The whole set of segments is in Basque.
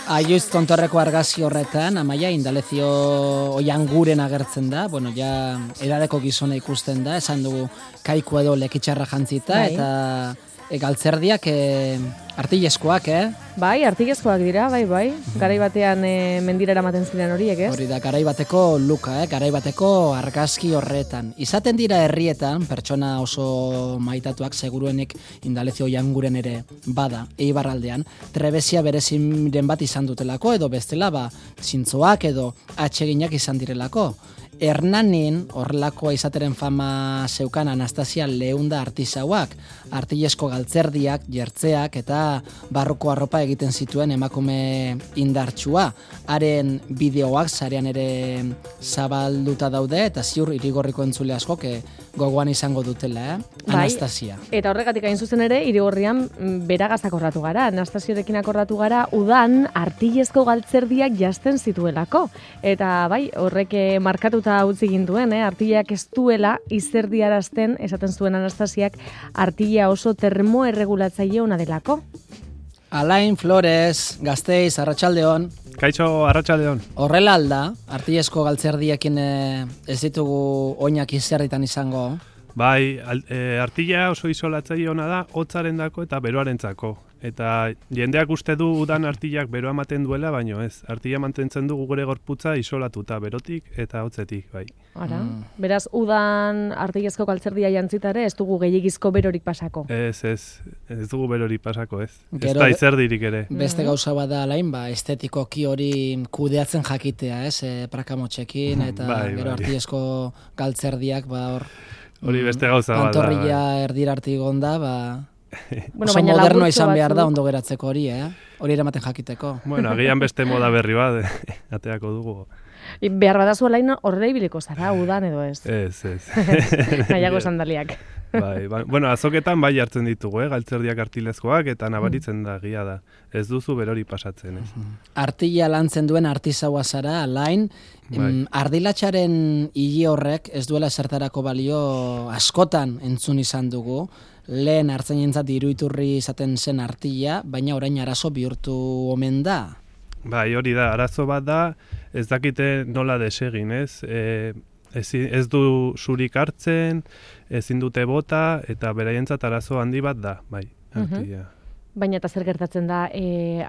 Aioiz tontorreko argazki horretan, Amaia, Indalezio Oianguren agertzen da, bueno, ja edadeko gizona ikusten da, esan dugu kaiku edo lekitxarra jantzita, eta galtzerdiak artilezkoak, Bai, artilezkoak dira, bai. Garai batean mendira eramaten ziren horiek, ez? Hori da, garai bateko luka, garai bateko argazki horretan. Izaten dira herrietan, pertsona oso maitatuak, seguruenik Indalezio Oianguren ere bada, Eibarraldean, trebezia bereziren bat izan dutelako, edo bestela, zintzoak edo atseginak izan direlako. Hernanin, horrelakoa izateren fama zeukan Anastasia Leunda artisauak, artilezko galtzerdiak, jertzeak eta barroko arropa egiten zituen emakume indartsua. Haren bideoak sarean ere zabalduta daude eta ziur Irigorriko entzule askok gogoan izango dutela, Anastasia. Eta horregatik hain zuzen ere, Irigorrian beragaz akordatu gara. Anastasiorekin akordatu gara, udan artilezko galtzerdiak jazten zituelako. Eta bai, horrek markatuta utzi ginduen, artilleak ez duela izerdiarazten, esaten zuen Anastasiak, artilla oso termoerregulatzaile ona delako. Alain Flores, Gasteiz, Arratsaldeon. Kaixo, Arratsaldeon. Horrela alda, artillezko galtzerdiekin ez ditugu oinak izerritan izango? Bai, artilla oso isolatzaile ona da, hotzarendako eta beroarentzako. Eta jendeak uste du udan artillak beroa ematen duela, baino ez. Artilla mantentzen du gure gorputza isolatuta berotik eta hotzetik, bai. Ara, beraz, udan artillezko galtzerdia jantzitare, ez dugu gehiagizko berorik pasako? Ez dugu berorik pasako, ez. Ez da izerdirik ere. Beste gauza bada alain, estetikoki hori kudeatzen jakitea, ez, prakamotxekin, eta gero artillezko galtzerdiak, hor... Hori beste gauza bada. Pantorrilla erdirartik onda, oso modernoa izan behar da ondo geratzeko hori, hori eramaten jakiteko. Bueno, agian beste moda berri bat, ateako dugu. Behar badazu alain horrela ibiliko zara, udan edo ez? Ez. Nahiago sandaliak. Bai. Bueno, azoketan bai hartzen ditugu, galtzerdiak artilezkoak, eta nabaritzen da, gia da. Ez duzu berori pasatzen, ez. Artilla lantzen duen artizaua zara, alain, ardilatxaren hile horrek ez duela zertarako balio askotan entzun izan dugu, lehen hartzen jentzat iruiturri izaten zen artilla, baina orain arazo bihurtu omen da. Bai, hori da, arazo bat da, ez dakite nola desegin, ez? Ez du zurik hartzen, ezin dute bota, eta beraientzat arazo handi bat da, bai, artilla. Baina eta zer gertatzen da,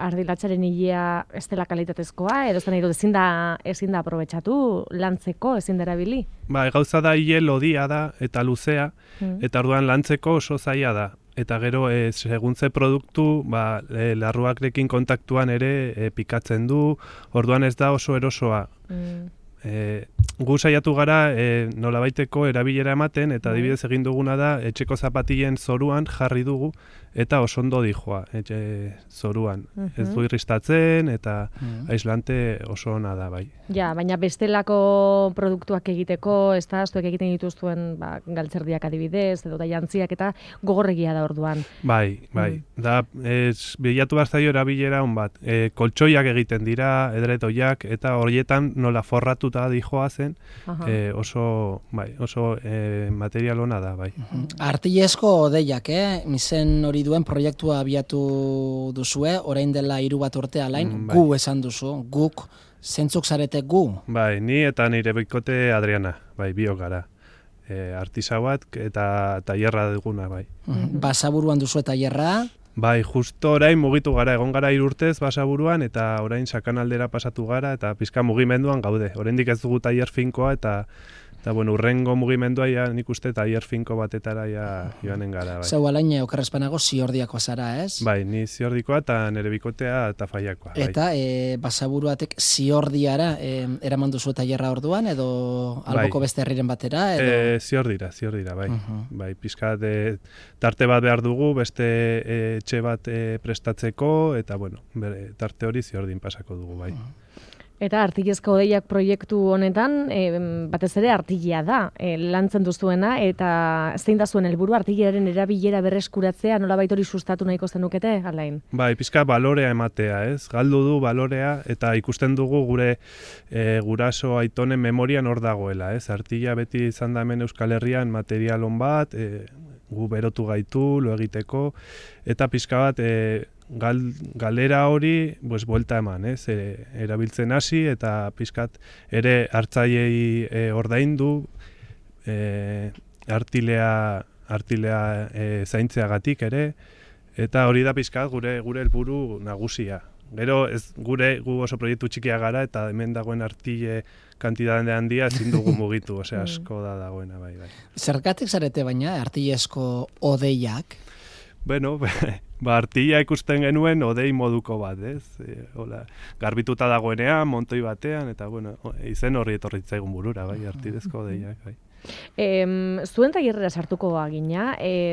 ardilatxaren hilea ez dela kalitatezkoa, edo zen nahi dut ezin da aprobetxatu, lantzeko, ezin da erabili? Ba, gauza da hile lodia da, eta luzea, eta orduan lantzeko oso zaila da. Eta gero, seguntze produktu, larruakrekin kontaktuan ere pikatzen du, orduan ez da oso erosoa. Gu saiatu gara nolabaiteko erabilera ematen, eta adibidez egin duguna da, etxeko zapatilen zoruan jarri dugu, eta oso ondo dijoa, zoruan. Ez du irristatzen, eta aislante oso ona da, bai. Ja, baina bestelako produktuak egiteko, ez da, zuek egiten dituzuen galtzerdiak adibidez, edo da jantziak, eta gogorregia da orduan. Bai. Da, bilatu baztaio erabilera hon bat. Koltsoiak egiten dira, edretoiak, eta horietan nola forratuta dijoa zen, oso material ona da, bai. Artilezko odeiak, izen hori duen proiektua abiatu duzue, orain dela 3 urte alain, gu esan duzu, guk, zentzuk zarete gu? Bai, ni eta nire bikote Adriana, bai, biok gara. Artisau bat eta tailerra duguna, bai. Basaburuan duzu tailerra? Bai, justo orain mugitu gara, egon gara 3 urtez Basaburuan, eta orain Sakanaldera pasatu gara, eta pizka mugimenduan gaude. Oraindik ez dugu tailer finkoa, eta bueno, urrengo mugimendua nik uste tailer finko batetara joanen gara. Bai. Zau alain, okerrezpanago ziordiakoa zara, ez? Bai, ni ziordikoa eta nire bikotea eta faiakoa. Eta Basaburuatek ziordiara eraman duzu tailerra orduan, edo alboko beste herriren batera? Ziordira, bai. Bai, pizkat tarte bat behar dugu, beste etxe bat prestatzeko, eta bueno, tarte hori ziordin pasako dugu, bai. Eta artilezko odeiak proiektu honetan, batez ere artillea da, lantzen duzuena, eta zein da zuen helburu artillearen erabilera berreskuratzea, nolabait hori sustatu nahiko zenukete, alain? Bai, pizka balorea ematea, ez? Galdu du balorea, eta ikusten dugu gure guraso aitonen memorian hor dagoela, ez? Artilla beti izan da hemen Euskal Herrian material on bat, gu berotu gaitu, lo egiteko, eta pizka bat galera hori buelta eman, ez? Erabiltzen hasi eta pizkat ere hartzaileei ordaindu artilea zaintzeagatik ere, eta hori da pizkat gure helburu nagusia. Gero gu oso proiektu txikia gara eta hemen dagoen artile kantitate handia ezin dugu mugitu, asko da dagoena bai. Zergatik zarete baina artilezko odeiak? Bueno, artila ikusten genuen odei moduko bat, ez? Garbituta dagoenean, montoi batean, eta izen horri etorritzaigun burura, bai, artilezko odeiak, bai. Zuen tailerrera sartuko bagina,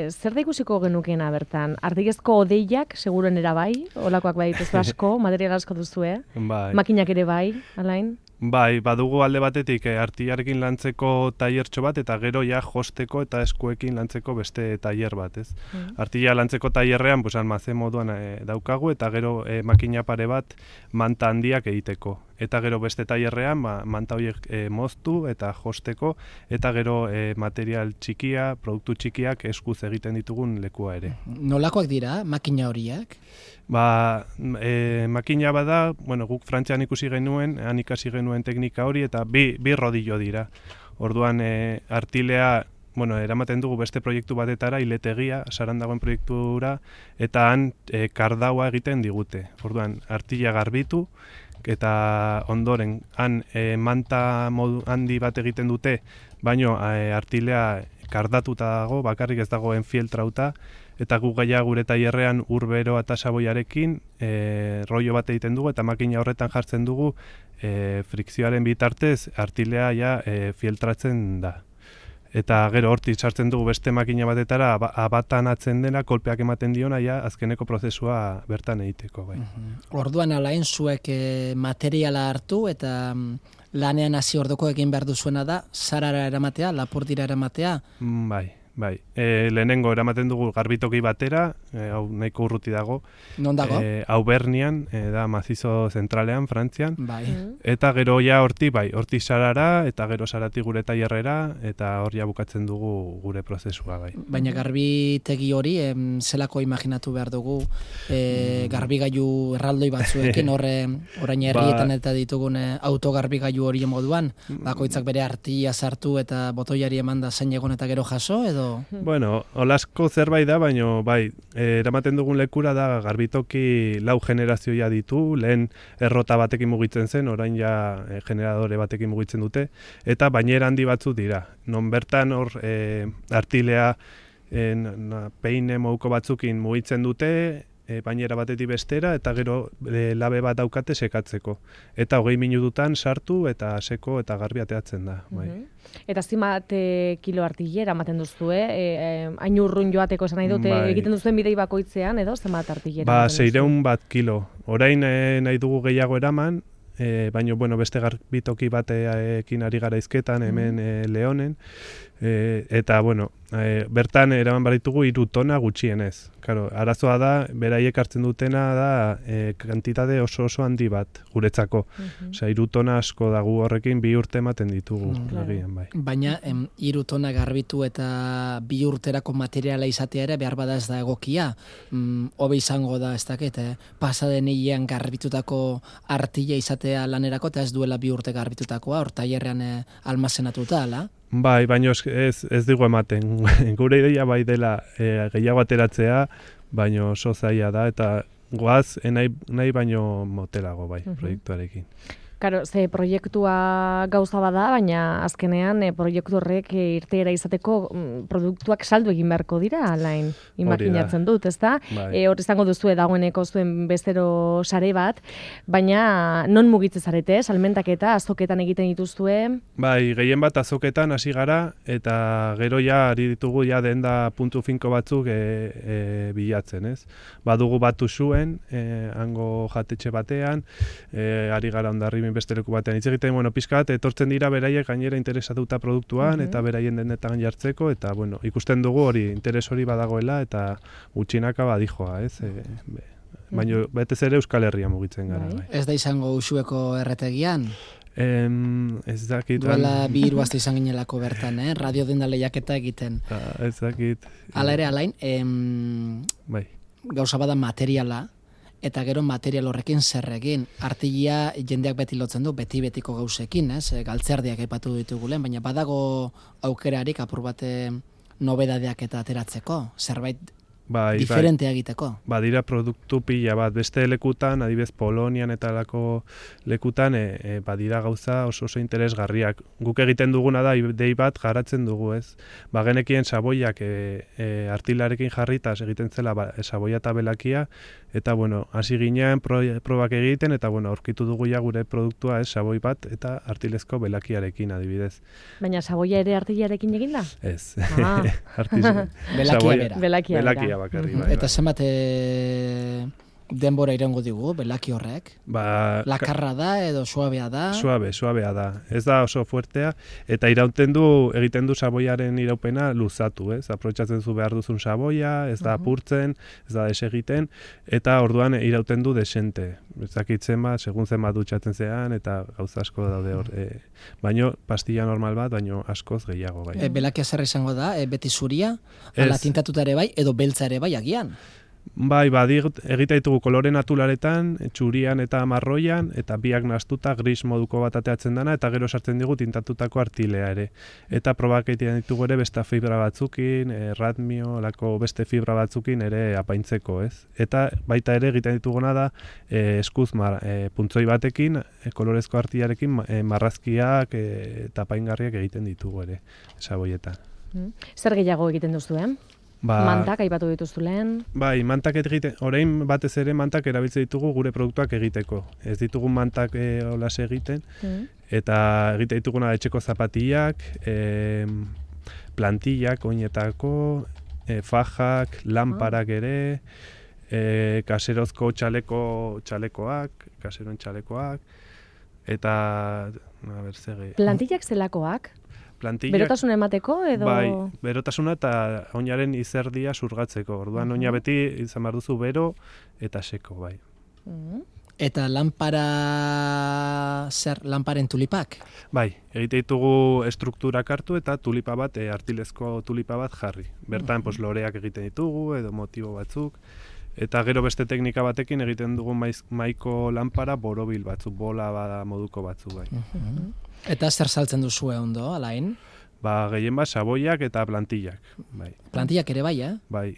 zer da ikusiko genukena bertan? Artilezko odeiak, seguren era bai, olakoak bai dituzu asko, material asko duzue, makinak ere bai, Alain? Bai, badugu alde batetik artilarekin lantzeko tailertxo bat, eta gero ja josteko eta eskuekin lantzeko beste tailer bat, ez? Artila lantzeko tailerrean, almazen moduan daukagu, eta gero makina pare bat manta handiak egiteko. Eta gero beste tailerrean, manta horiek moztu eta josteko, eta gero material txikia, produktu txikiak eskuz egiten ditugun lekua ere. Nolakoak dira, makina horiek? Makina bada, guk Frantzian ikusi genuen, han ikasi genuen teknika hori, eta bi rodillo dira. Orduan, artilea, eramaten dugu beste proiektu batetara, iletegia, saran dagoen proiektura, eta han kardaua egiten digute. Orduan, artila garbitu, eta ondoren, han manta handi bat egiten dute, baino artilea kardatuta dago, bakarrik ez dagoen fieltrauta, eta gu gaia gure tailerrean urbero eta saboiarekin rollo bat egiten dugu, eta makina horretan jartzen dugu frikzioaren bitartez artilea fieltratzen da. Eta gero hortik sartzen dugu beste makina batetara abatan atzen dena, kolpeak ematen diona, azkeneko prozesua bertan egiteko. Bai. Orduan Alain zuek materiala hartu eta lanean hasi ordoko egin behar duzuena da, zarara eramatea, lapurdira eramatea? Bai. Lehenengo eramaten dugu garbitoki batera, hau nahiko urruti dago. Non dago? Aubernian, da mazizo zentralean, Frantzian. Bai. Eta gero horti sarara, eta gero sarati gure tailerrera, eta hor bukatzen dugu gure prozesua, bai. Baina garbitegi hori, zelako imaginatu behar dugu, garbigailu erraldoi batzuekin, orain herrietan eta ditugun autogarbigailu hori moduan, bakoitzak bere artia sartu eta botoiari eman da zein egon eta gero jaso, edo? Bueno, olasko zerbait da, baina eramaten dugun lekura da garbitoki 4 generazioa ditu, lehen errota batekin mugitzen zen, orain generadore batekin mugitzen dute, eta bainera handi batzu dira. Non bertan hor artilea peine moduko batzukin mugitzen dute, bainera batetik bestera, eta gero labe bat daukate sekatzeko. Eta 20 minututan sartu eta seko eta garbi ateatzen da. Eta zenbat kilo artilera ematen duzue, hain urrun joateko esan nahi dute, egiten duzuen bidei bakoitzean, edo zenbat artilera? 600 bat kilo. Orain nahi dugu gehiago eraman, baina beste garbitoki batekin ari gara izketan, hemen Leonen, eta bertan eraman baritugu 3 tona gutxienez. Arazoa da, beraiek hartzen dutena da kantitate oso handi bat guretzako. 3 tona asko da, gu horrekin 2 urte ematen ditugu. Baina 3 tona garbitu eta 2 urterako materiala izatea ere behar bada ez da egokia. Hobe izango da ez dakit, pasaden hilean garbitutako artila izatea lanerako eta ez duela 2 urte garbitutakoa, hor tailerrean almazenatuta, ala? Bai, baina ez digu ematen. Gure ideia bai dela gehiago ateratzea, baina oso zaila da, eta goaz nahi baino motelago bai, proiektuarekin. Karo, ze proiektua gauza bada, baina azkenean proiektu horrek irteera izateko produktuak saldu egin beharko dira, Alain, imaginatzen dut, ezta? Hor izango duzu dagoeneko zuen bestero sare bat, baina non mugitzen zarete, salmentak eta azoketan egiten dituzue? Bai, gehien bat azoketan hasi gara, eta gero ari ditugu denda puntu finko batzuk bilatzen, ez? Badugu batu zuen, hango jatetxe batean, ari gara ondarri beste leku batean hitz egiten, pizkat etortzen dira beraiek gainera interesatuta produktuan eta beraien denetan jartzeko, eta ikusten dugu hori interes hori badagoela eta gutxinaka badijoa, ez? Baina betez ere Euskal Herria mugitzen gara. Ez da izango Uxueko erretegian? Ez dakit. Duela 2 hiru aste izan ginelako bertan, radio denda lehiaketa egiten. Ez dakit. Hala ere, Alain, gauza bada materiala, eta gero material horrekin zer egin. Artilia jendeak beti lotzen du, beti-betiko gauzekin, galtzerdiak aipatu ditugulen, baina badago aukerarik apur bate nobedadeak eta ateratzeko, zerbait diferentea egiteko. Badira produktu pila bat, beste lekutan, adibidez Polonian eta lako lekutan, badira gauza oso interesgarriak. Guk egiten duguna da, idei bat garatzen dugu, ez? Genekien saboiak artilarekin jarritaz egiten zela saboia eta belakia, eta, hasi ginean probak egiten, eta, aurkitu dugu ja gure produktua, saboi bat, eta artilezko belakiarekin, adibidez. Baina saboia ere artilarekin egin da? Ez. Belakia bera. Bakarri, bai, eta zenbat denbora irango digu, belaki horrek? Lakarra da edo suabea da? Suabea da. Ez da oso fuertea, eta egiten du saboiaren iraupena luzatu, ez? Aprotxatzen zu behar duzun saboia, ez da apurtzen, ez da desegiten, eta orduan irauten du desente. Ez dakitzen bat, segun zen bat dutxatzen zean, eta gauza asko daude hor. Baino, pastilla normal bat, baino askoz gehiago, bai. Belakia zer izango da, beti zuria, ala tintatuta ere bai, edo beltza ere bai agian? Bai, egite ditugu kolore naturaretan, txurian eta marroian, eta biak nahastuta gris moduko bat ateatzen dana, eta gero sartzen digu tintatutako artilea ere. Eta probak egiten ditugu ere beste fibra batzukin, radmio, lako beste fibra batzukin ere apaintzeko, ez? Eta baita ere egiten dituguna da eskuz puntzoi batekin, kolorezko artilarekin marrazkiak eta apaingarriak egiten ditugu ere, saboietan. Zer gehiago egiten duzu, Mantak aipatu dituztu lehen? Bai, mantak orain batez ere mantak erabiltzen ditugu gure produktuak egiteko. Ez ditugu mantak olas egiten, eta egite dituguna etxeko zapatillak, plantillak, oinetako, fajak, lanparak ere, kaserozko kaseroen txalekoak, eta, plantillak zelakoak? Plantillak, berotasuna emateko edo? Bai, berotasuna eta oinaren izerdia surgatzeko. Orduan oina beti izan behar duzu bero eta seko, bai. Eta lanparen tulipak? Bai, egite ditugu estrukturak hartu eta tulipa bat, artilezko tulipa bat jarri. Bertan loreak egiten ditugu edo motibo batzuk. Eta gero beste teknika batekin egiten dugu maiko lanpara borobil batzuk, bola bada moduko batzuk, bai. Eta zer saltzen duzue ondo, alain? Gehien bat, saboiak eta plantillak. Bai. Plantillak ere bai, Bai.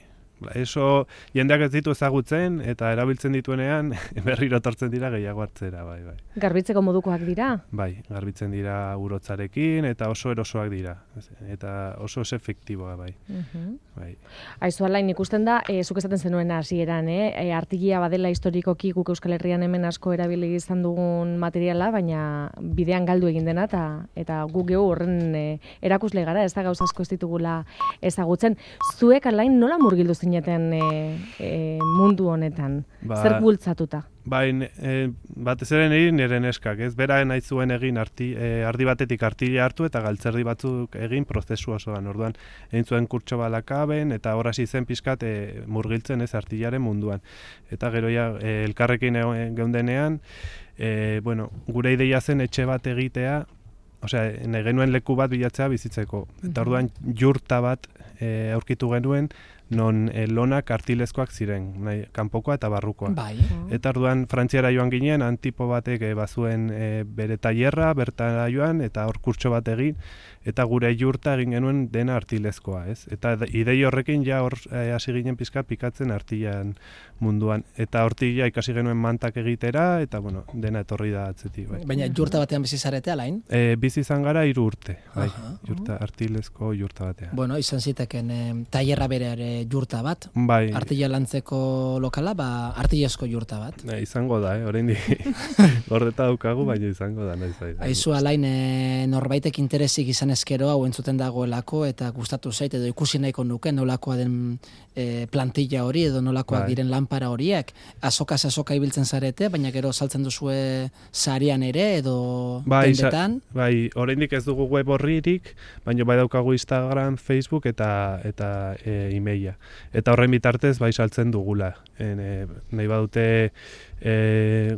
Eso jendeak ez ditu ezagutzen eta erabiltzen dituenean berriro etortzen dira gehiago hartzera, bai. Garbitzeko modukoak dira? Bai, garbitzen dira urotzarekin eta oso erosoak dira. Eta oso efektiboa, bai. Aizu, alain, ikusten da, zuk esaten zenuen hasieran, artilia badela historikoki guk Euskal Herrian hemen asko erabili izan dugun materiala, baina bidean galdu egin dena eta guk gehu horren erakusle gara, ez da gauza asko ez ditugula ezagutzen. Zuek, alain, nola murgildu zineten mundu honetan? Zer bultzatuta? Bai, batez ere nire neskak, ez? Bera nahi zuen egin ardi batetik artilia hartu eta galtzerdi batzuk egin prozesu osoan. Orduan, egin zuen kurtso balakaben eta hor hasi zen pixkat murgiltzen ez artiliaren munduan. Eta gero elkarrekin geundenean, gure ideia zen etxe bat egitea, nahi genuen leku bat bilatzea bizitzeko. Eta orduan jurta bat aurkitu genuen, non lonak artilezkoak ziren, kanpokoa eta barrukoa. Bai. Eta orduan Frantziara joan ginen, antipo batek bazuen bere tailerra, bertara joan, eta hor kurtso bat egin, eta gure jurta egin genuen dena artilezkoa, ez? Eta idei horrekin ja hor hasi ginen pizka pikatzen artilan munduan. Eta hortik ja ikasi genuen mantak egitera, eta dena etorri da atzetik. Bai. Baina jurta batean bizi zarete, alain? Bizi izan gara 3 urte, bai. Artilezko jurta batean. Izan ziteken tailerra bere jurta bat, bai. Artila lantzeko lokala, artilezko jurta bat. Izango da, oraindik gordeta daukagu, baina izango da. Aizu, alain, norbaitek interesik izan ezkero hau entzuten dagoelako eta gustatu zait edo ikusi nahiko nuke nolakoa den plantilla hori edo nolakoak diren lanpara horiek. Azokaz azoka ibiltzen zarete, baina gero saltzen duzue sarian ere edo dendetan? Bai, oraindik ez dugu web horririk, baina bai daukagu Instagram, Facebook eta e-maila. Eta horren bitartez bai saltzen dugula. Nahi badute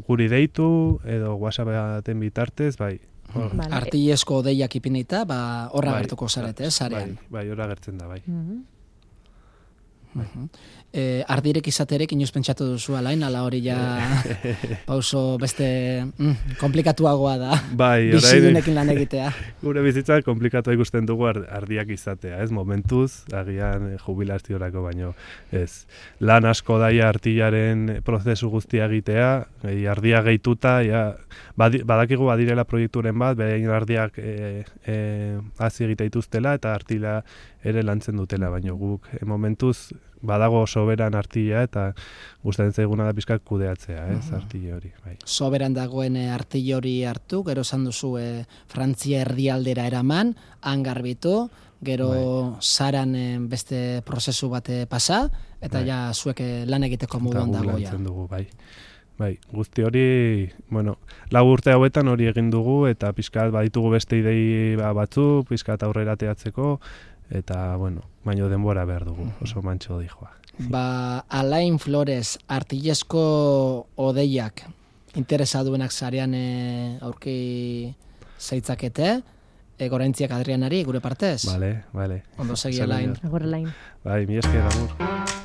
guri deitu edo WhatsApp baten bitartez, bai. Artilezko deiak ipinita, horra gertuko zarete, sarean. Bai, horra gertzen da, bai. ardirek izaterek inoiz pentsatu duzu alain, ala hori ja pauso beste komplikatuagoa da. Bai, bizidunekin lan egitea. Gure bizitza komplikatu ikusten dugu ardiak izatea, ez? Momentuz, agian jubilaziorako baino, ez. Lan asko daia artillaren prozesu guztia egitea, ardia gehituta, badakigu badirela proiekturen bat, behin ardiak hasi egite dituztela eta artila ere lantzen dutela, baino guk momentuz badago soberan artilla eta gustatzen zaiguna da pizkat kudeatzea, ez, artilla hori, bai. Soberan dagoen artilla hori hartu, gero esan duzu Frantzia erdialdera eraman, han garbitu, gero Saran beste prozesu bat pasa, eta ja zuek lan egiteko moduan dago ja. Lantzen dugu, bai. Bai, guzti hori, bueno, 4 urte hauetan hori egin dugu, eta pizkat baditugu beste idei batzu, pizkat aurrera teatzeko, eta, bueno, baino denbora behar dugu, oso mantxo dijoa. Alain Flores, artillesko odeiak interesaduenak zarean aurki zeitzakete, goraintziak Adrianari, gure partez? Vale. Ondo segi Alain. Agor Alain. Bai, mi esker, amor.